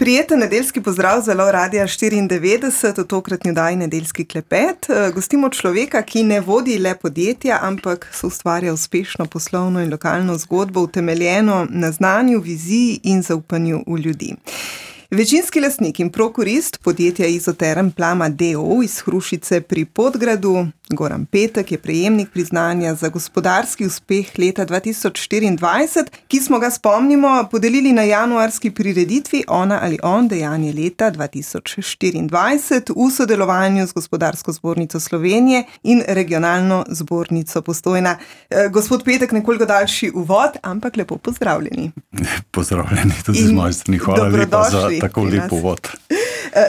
Prijeten nedeljski pozdrav z Valov Radia 94, v tokratni oddaji Nedeljski klepet. Gostimo človeka, ki ne vodi le podjetja, ampak soustvarja uspešno poslovno in lokalno zgodbo, utemeljeno na znanju, viziji in zaupanju v ljudi. Večinski lastnik in prokurist podjetja Izoterm Plama d.o.o. iz Hrušice pri Podgradu, Goran Petek, je prejemnik priznanja za gospodarski uspeh leta 2024, ki smo ga, spomnimo, podelili na januarski prireditvi Ona ali on, dejanje leta 2024 v sodelovanju z Gospodarsko zbornico Slovenije in Regionalno zbornico Postojna. Gospod Petek, nekoliko daljši uvod, ampak lepo pozdravljeni. Pozdravljeni tudi z moje strani. Hvala lepa za tako lep uvod.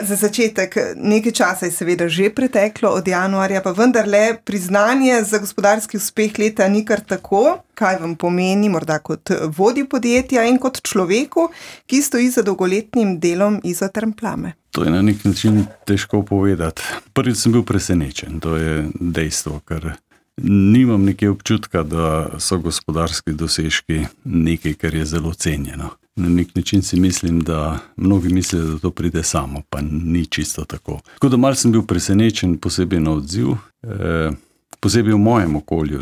Za začetek, nekaj časa je seveda že preteklo od januarja, pa vendarle priznanje za gospodarski uspeh leta ni kar tako. Kaj vam pomeni morda kot vodji podjetja in kot človeku, ki stoji za dolgoletnim delom Izoterm Plame? To je na nek način težko povedati. Prvič sem bil presenečen, to je dejstvo, ker nimam nekaj občutka, da so gospodarski dosežki nekaj, kar je zelo cenjeno. Na nek način si mislim, da mnogi mislijo, da to pride samo, pa ni čisto tako. Tako da malo sem bil presenečen, posebej na odziv, posebej v mojem okolju,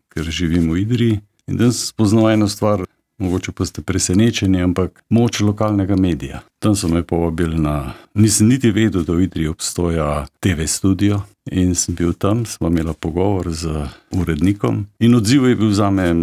ker živim v Idriji. In da sem spoznal eno stvar, mogoče pa ste presenečeni, ampak moč lokalnega medija. Tam so me povabili nisem niti vedel, da v Idriji obstoja TV studio. In sem bil tam, smo imeli pogovor z urednikom in odziv je bil zame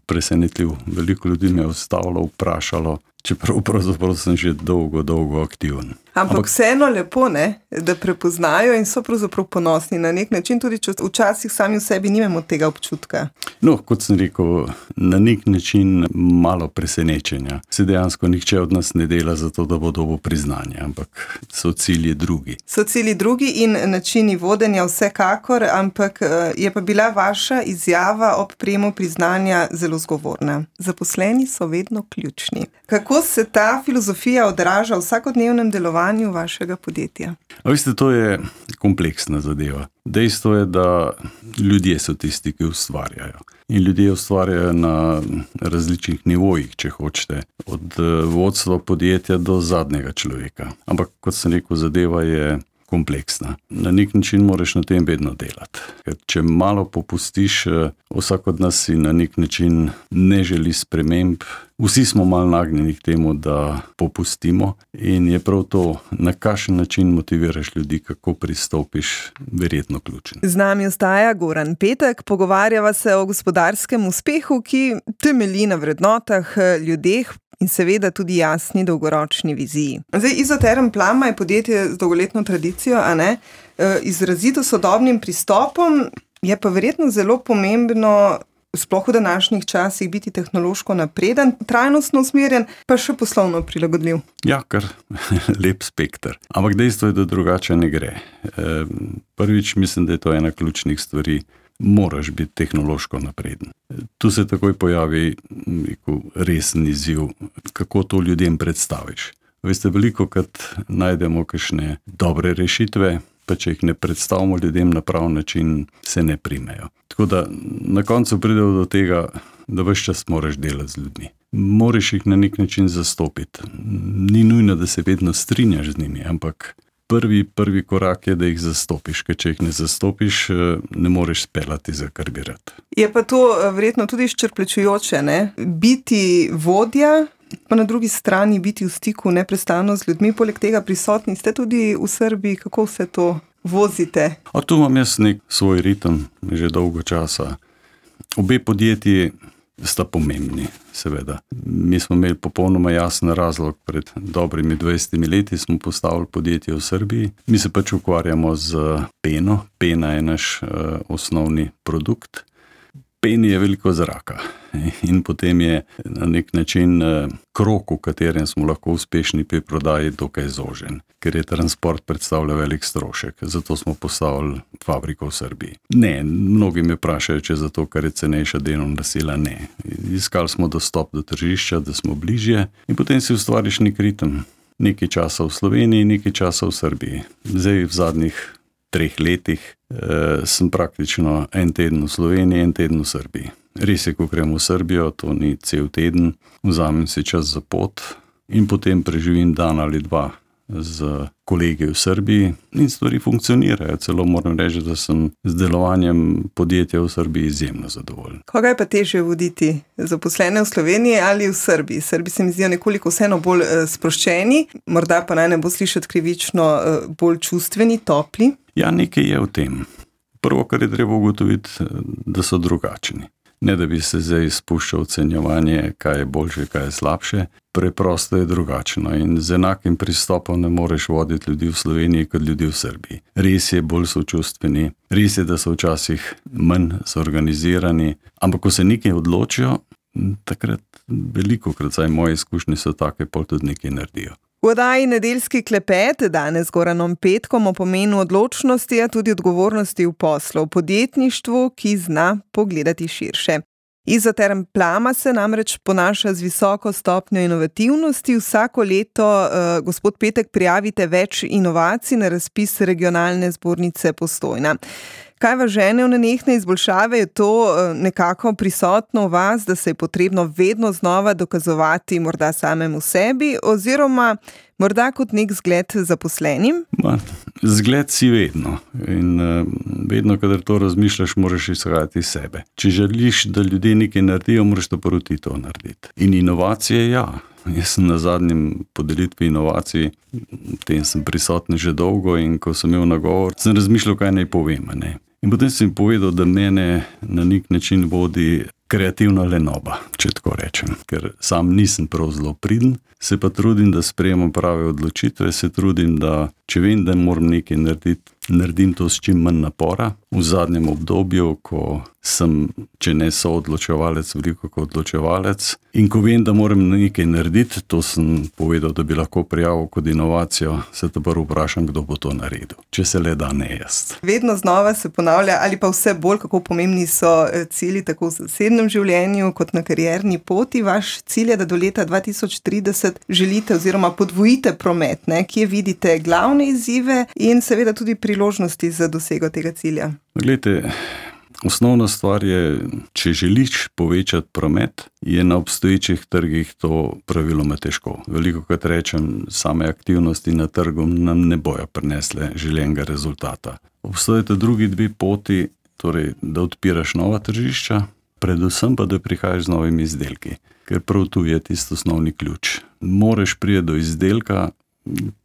presenetljiv. Veliko ljudi me je ustavilo, vprašalo, čeprav pravzaprav sem že dolgo aktiven. Ampak vseeno lepo, da prepoznajo in so pravzaprav ponosni na nek način, tudi če včasih sami v sebi nimamo tega občutka. No, kot sem rekel, na nek način malo presenečenja. Se dejansko nihče od nas ne dela za to, da bo dobil priznanje, ampak so cilji drugi. So cilji drugi in načini vodenja vsekakor, ampak je pa bila vaša izjava ob prejemu priznanja zelo zgovorna. Zaposleni so vedno ključni. Kako se ta filozofija odraža v vsakodnevnem delovanju vašega podjetja? A veste, to je kompleksna zadeva. Dejstvo je, da ljudje so tisti, ki ustvarjajo. In ljudje ustvarjajo na različnih nivojih, če hočete. Od vodstva podjetja do zadnjega človeka. Ampak, kot sem rekel, zadeva je kompleksna. Na nek način moraš na tem vedno delati. Ker če malo popustiš, vsak od nas si na nek način ne želi sprememb. Vsi smo malo nagnjeni k temu, da popustimo in je prav to, na kakšen način motiviraš ljudi, kako pristopiš, verjetno ključen. Z nami ostaja Goran Petek, pogovarjava se o gospodarskem uspehu, ki temelji na vrednotah, ljudeh in seveda tudi jasni dolgoročni viziji. Zdaj, Izoterm Plama je podjetje z dolgoletno tradicijo, izrazito sodobnim pristopom, je pa verjetno zelo pomembno, sploh v današnjih časih, biti tehnološko napreden, trajnostno usmerjen, pa še poslovno prilagodljiv. Ja, kar lep spekter. Ampak dejstvo je, da drugače ne gre. Prvič, mislim, da je to ena ključnih stvari. Moraš biti tehnološko napreden. Tu se takoj pojavi resen izziv, kako to ljudem predstaviš. Veste, velikokrat najdemo kakšne dobre rešitve, pa če jih ne predstavimo ljudem na prav način, se ne primejo. Tako da na koncu pride do tega, da ves čas moraš delati z ljudmi. Moraš jih na nek način zastopiti. Ni nujno, da se vedno strinjaš z njimi, ampak prvi korak je, da jih zastopiš, ker če jih ne zastopiš, ne moreš speljati za kar bi rad. Je pa to verjetno tudi izčrpljujoče, biti vodja, pa na drugi strani biti v stiku neprestano z ljudmi, poleg tega prisotni ste tudi v Srbiji, kako vse to vozite? Tu imam jaz nek svoj ritem, že dolgo časa. Obe podjetji sta pomembni, seveda. Mi smo imeli popolnoma jasen razlog, pred dobrimi 20 leti smo postavili podjetje v Srbiji. Mi se pač ukvarjamo z peno. Pena je naš osnovni produkt. Peni je veliko zraka in potem je na nek način krog, v katerem smo lahko uspešni pri prodaji, dokaj zožen, ker je transport predstavlja velik strošek. Zato smo postavili fabriko v Srbiji. Ne, mnogi me vprašajo, če zato, ker je cenejša delovna sila. Ne. Iskali smo dostop do tržišča, da smo bližje in potem si ustvariš nek ritem. Nekaj časa v Sloveniji, nekaj časa v Srbiji. Zdaj v zadnjih 3 letih sem praktično en teden v Sloveniji, en teden v Srbiji. Res je, ko grem v Srbijo, to ni cel teden, vzamem si čas za pot, in potem preživim dan ali dva z kolegi v Srbiji in stvari funkcionirajo. Celo moram reči, da sem z delovanjem podjetja v Srbiji izjemno zadovoljen. Koga je pa težje voditi? Zaposlene v Sloveniji ali v Srbiji? Srbi se mi zdijo nekoliko vseeno bolj sproščeni, morda pa naj ne bo slišati krivično, bolj čustveni, topli. Ja, nekaj je v tem. Prvo, kar je treba ugotoviti, da so drugačni. Ne da bi se zdaj spuščal ocenjevanje, kaj je boljše, kaj je slabše. Preprosto je drugačno in z enakim pristopom ne moreš voditi ljudi v Sloveniji kot ljudi v Srbiji. Res je bolj sočustveni, res je, da so včasih manj zorganizirani, ampak ko se nekaj odločijo, takrat velikokrat, saj moje izkušnje so take, pol tudi nekaj naredijo. V oddaji Nedeljski klepet danes z Goranom Petkom o pomenu odločnosti, a tudi odgovornosti v poslu, v podjetništvu, ki zna pogledati širše. Izoterm Plama se namreč ponaša z visoko stopnjo inovativnosti. Vsako leto, gospod Petek, prijavite več inovacij na razpis regionalne zbornice Postojna. Kaj vas žene v nenehne izboljšave? Je to nekako prisotno v vas, da se je potrebno vedno znova dokazovati morda samemu sebi oziroma morda kot nek zgled zaposlenim? Zgled si vedno in vedno, kadar to razmišljaš, moraš izhajati iz sebe. Če želiš, da ljudje nekaj naredijo, moraš to proti to narediti. In inovacije, ja. Jaz sem na zadnjem podelitvi inovacij, v tem sem prisoten že dolgo in ko sem imel nagovor, sem razmišljal, kaj naj povem, ne. In potem sem povedal, da mene na nek način vodi kreativna lenoba, če tako rečem, ker sam nisem prav zelo priden, se pa trudim, da sprejemam prave odločitve, se trudim, da če vem, da moram nekaj narediti, naredim to s čim manj napora. V zadnjem obdobju, ko sem, če ne soodločevalec, veliko kot odločevalec, in ko vem, da moram nekaj narediti, to sem povedal, da bi lahko prijavil kot inovacijo, se te prvo vprašam, kdo bo to naredil. Če se le da, ne jaz. Vedno znova se ponavlja, ali pa vse bolj, kako pomembni so cilji tako v zasebnem življenju kot na karierni poti. Vaš cilj je, da do leta 2030 želite oziroma podvojite promet, ne? Kje vidite glavne izzive in seveda tudi priložnosti za dosego tega cilja? Glejte, osnovna stvar je, če želiš povečati promet, je na obstoječih trgih to praviloma težko. Velikokrat rečem, same aktivnosti na trgu nam ne bojo prinesle želenega rezultata. Obstojata drugi dve poti, torej, da odpiraš nova tržišča, predvsem pa, da prihajaš z novimi izdelki, ker prav tu je tisto osnovni ključ. Moreš priti do izdelka,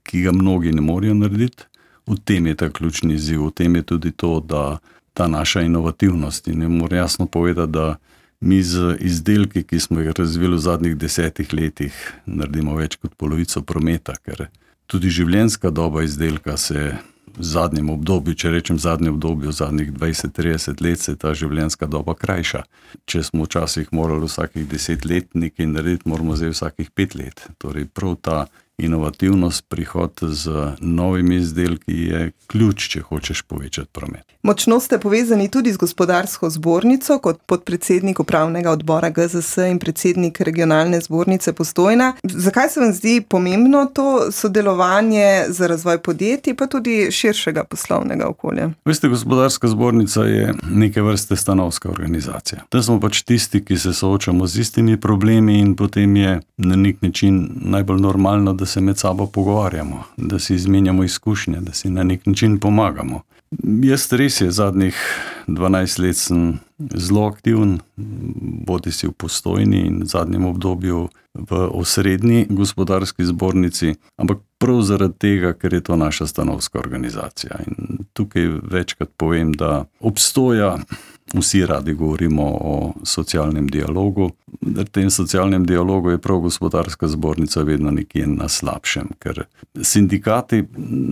ki ga mnogi ne morejo narediti. V tem je ta ključni izziv, v tem je tudi to, da ta naša inovativnost, in ne moram jasno povedati, da mi z izdelki, ki smo jih razvili v zadnjih 10 letih, naredimo več kot polovico prometa, ker tudi življenjska doba izdelka se v zadnjem obdobju, če rečem zadnjem obdobju, v zadnjih 20-30 let se ta življenjska doba krajša. Če smo včasih morali vsakih 10 let nekaj narediti, moramo zdaj vsakih 5 let. Torej prav ta inovativnost, prihod z novimi izdelki je ključ, če hočeš povečati promet. Močno ste povezani tudi z gospodarsko zbornico kot podpredsednik upravnega odbora GZS in predsednik regionalne zbornice Postojna. Zakaj se vam zdi pomembno to sodelovanje za razvoj podjetij, pa tudi širšega poslovnega okolja? Veste, gospodarska zbornica je neke vrste stanovska organizacija. Da smo pač tisti, ki se soočamo z istimi problemi in potem je na nek način najbolj normalno, da se med sabo pogovarjamo, da si izmenjamo izkušnje, da si na nek način pomagamo. Jaz res je, zadnjih 12 let sem zelo aktiven, bodi si v Postojni in v zadnjem obdobju v osrednji gospodarski zbornici, ampak prav zaradi tega, ker je to naša stanovska organizacija. In tukaj večkrat povem, da obstoja, vsi radi govorimo o socialnem dialogu. V tem socialnem dialogu je prav gospodarska zbornica vedno nekje na slabšem, ker sindikati,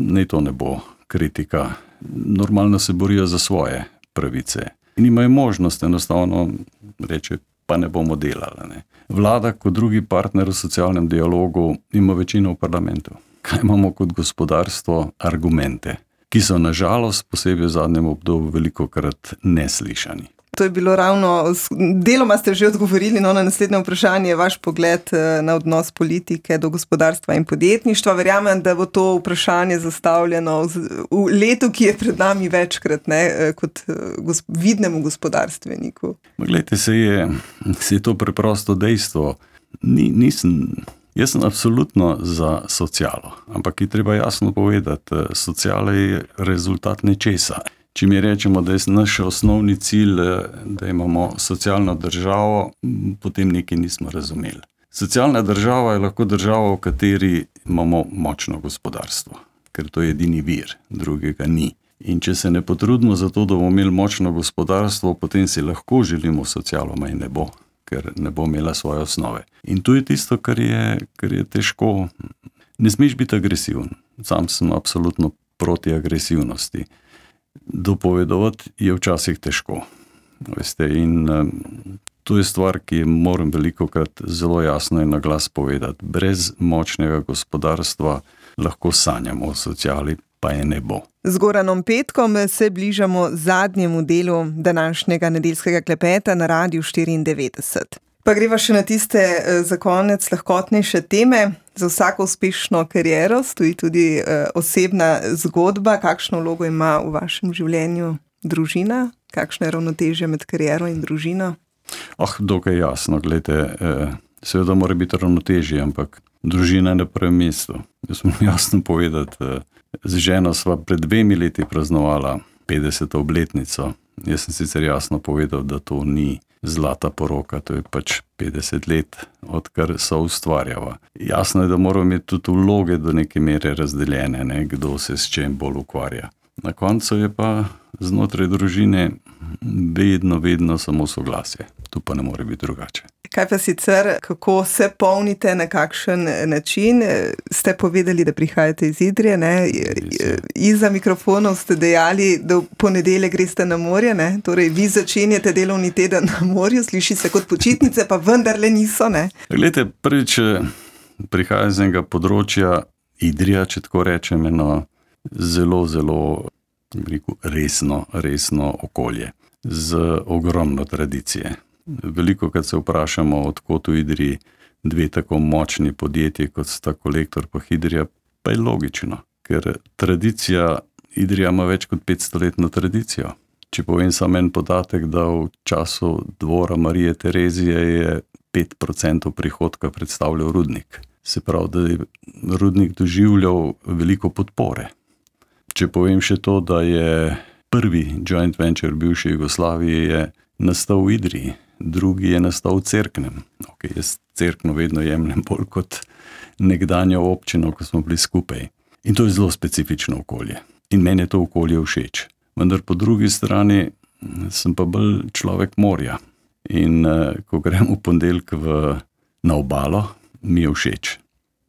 ne to ne bo kritika, normalno se borijo za svoje pravice in imajo možnost enostavno reči, pa ne bomo delali. Ne. Vlada kot drugi partner v socialnem dialogu ima večino v parlamentu. Kaj imamo kot gospodarstvo? Argumente, ki so na žalost, posebej v zadnjem obdobju, velikokrat neslišani. To je bilo ravno, deloma ste že odgovorili na naslednje vprašanje, vaš pogled na odnos politike do gospodarstva in podjetništva. Verjamem, da bo to vprašanje zastavljeno v letu, ki je pred nami večkrat, ne, kot vidnemu gospodarstveniku. Glejte, se je to preprosto dejstvo. Nisem Jaz sem absolutno za socialo, ampak je treba jasno povedati, sociala je rezultat nečesa. Če mi rečemo, da je naš osnovni cilj, da imamo socialno državo, potem nekaj nismo razumeli. Socialna država je lahko država, v kateri imamo močno gospodarstvo, ker to je edini vir, drugega ni. In če se ne potrudimo za to, da bomo imeli močno gospodarstvo, potem si lahko želimo socialo, in ne bo, ker ne bo imela svoje osnove. In to je tisto, kar je težko. Ne smeš biti agresiven. Sam sem absolutno proti agresivnosti. Dopovedovati je včasih težko. Veste, in to je stvar, ki moram velikokrat zelo jasno in na glas povedati. Brez močnega gospodarstva lahko sanjamo o sociali, pa je ne bo. Z Goranom Petkom se bližamo zadnjemu delu današnjega nedeljskega klepeta na Radiu 94. Pa greva še na tiste za konec lahkotnejše teme. Za vsako uspešno kariero stoji tudi osebna zgodba. Kakšno vlogo ima v vašem življenju družina? Kakšno je ravnotežje med kariero in družino? Dokaj jasno, glejte, seveda mora biti ravnotežje, ampak družina je na prvem mestu. Jaz moram jasno povedati, z ženo sva pred 2 leti praznovala 50. obletnico. Jaz sem sicer jasno povedal, da to ni zlata poroka, to je pač 50 let, odkar so ustvarjava. Jasno je, da moramo imeti tudi vloge do neke mere razdeljene, kdo se s čem bolj ukvarja. Na koncu je pa znotraj družine vedno samo soglasje. Tu pa ne more biti drugače. Kaj pa sicer, kako se polnite, na kakšen način? Ste povedali, da prihajate iz Idrije, ne? Izza mikrofonov ste dejali, da v ponedeljek greste na morje, ne? Torej, vi začenjate delovni teden na morju, sliši se kot počitnice, pa vendarle niso, ne? Glejte, prvič prihajam z enega področja Idrija, če tako rečem, eno zelo resno okolje, z ogromno tradicije. Velikokrat se vprašamo, odkot v Idriji 2 tako močni podjetji, kot sta Kolektor pa Hidrija, pa je logično, ker tradicija, Idrija ima več kot 500-letno tradicijo. Če povem samo en podatek, da v času dvora Marije Terezije je 5% prihodka predstavljal rudnik. Se pravi, da je rudnik doživljal veliko podpore. Če povem še to, da je prvi joint venture bivše Jugoslavije je nastal v Idriji, drugi je nastal v Cerknem. Jaz Cerkno vedno jemljem bolj kot nekdanjo občino, ko smo bili skupaj. In to je zelo specifično okolje. In meni je to okolje všeč. Vendar po drugi strani sem pa bolj človek morja. In ko grem v ponedeljek na obalo, mi je všeč.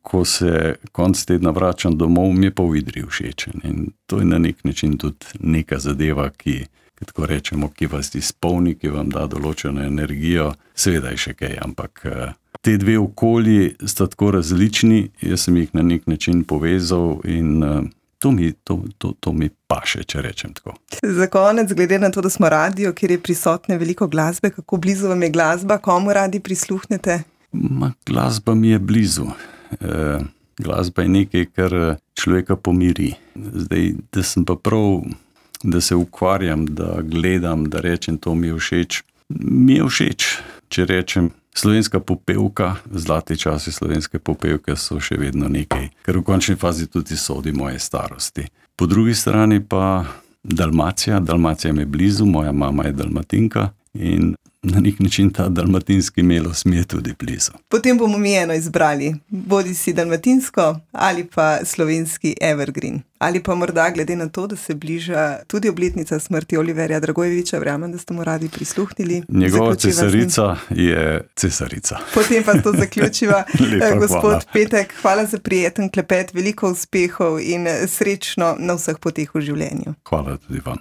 Ko se konc tedna vračam domov, mi je pa v Idriji všeč. In to je na nek način tudi neka zadeva, ki, tako rečemo, ki vas izpolni, ki vam da določeno energijo. Seveda je še kaj, ampak te 2 okolji sta tako različni, jaz sem jih na nek način povezal in to mi paše, če rečem tako. Za konec, glede na to, da smo radio, kjer je prisotne veliko glasbe, kako blizu vam je glasba, komu radi prisluhnete? Glasba mi je blizu. Glasba je nekaj, kar človeka pomiri. Zdaj, da sem pa prav, da se ukvarjam, da gledam, da rečem, to mi je všeč. Mi je všeč, če rečem, slovenska popevka, zlati časi slovenske popevke so še vedno nekaj, ker v končni fazi tudi sodi moje starosti. Po drugi strani pa Dalmacija mi je blizu, moja mama je Dalmatinka in na nek način ta dalmatinski melos mi je tudi blizu. Potem bomo mi eno izbrali, bodi si dalmatinsko ali pa slovenski evergreen. Ali pa morda glede na to, da se bliža tudi obletnica smrti Oliverja Dragojevića, verjamem, da ste mu radi prisluhnili. Njegova cesarica je cesarica. Potem pa to zaključiva. Gospod Petek, hvala za prijeten klepet, veliko uspehov in srečno na vseh poteh v življenju. Hvala tudi vam.